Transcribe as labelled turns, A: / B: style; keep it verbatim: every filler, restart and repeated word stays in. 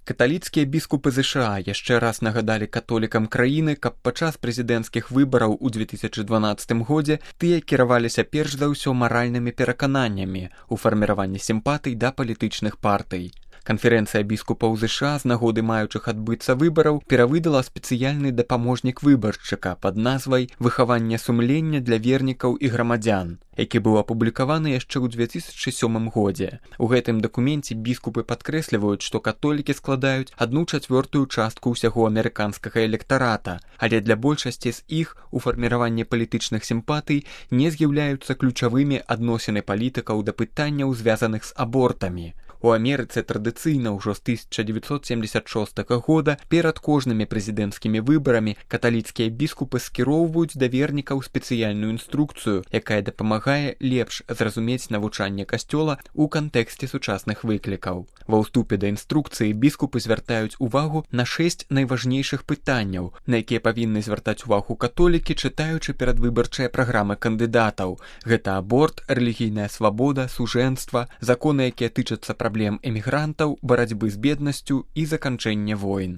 A: Каталіцкія біскупы ЗША яшчэ раз нагадалі католікам краіны, каб падчас прэзідэнцкіх выбараў у две тысячы дванаццатым годзе тыя кіраваліся перш за ўсё маральнымі перакананнямі ў фарміраванні сімпатый да палітычных партый. Канферэнцыя біскупаў ЗША з нагоды маючых адбыцца выбараў перавыдала спецыяльны дапаможнік выбаршчыка пад назвай «Выхаванне сумлення для вернікаў і грамадзян», які быў апублікаваны яшчэ ў две тысячы сёмым годзе. У гэтым дакуменце біскупы падкрэсліваюць, што католікі складаюць адну чацвёртую частку ўсяго амерыканскага электарата, але для большасці з іх у фарміраванні палітычных сімпатый не з'яўляюцца ключавымі адносіны палітыкаў да пытанняў, звязаных з абортамі. У Амерыцы традыцыйна ўжо з тысяча дзевяцьсот семдзесят шостага года перад кожнымі прэзідэнцкімі выбарамі каталіцкія біскупы скіроўваюць да вернікаў спецыяльную інструкцыю, якая дапамагае лепш зразумець навучанне касцёла ў кантэксце сучасных выклікаў. Ва ўступе да інструкцыі біскупы звяртаюць увагу на шэсць найважнейшых пытанняў, на якія павінны звяртаць увагу католікі, чытаючы перадвыбарчыя праграмы кандыдатаў. Гэта аборт, рэлігійная свабода, сужэнства, законы, якія тычацца праблем эмігрантаў, барацьбы з беднасцю і заканчэння войн.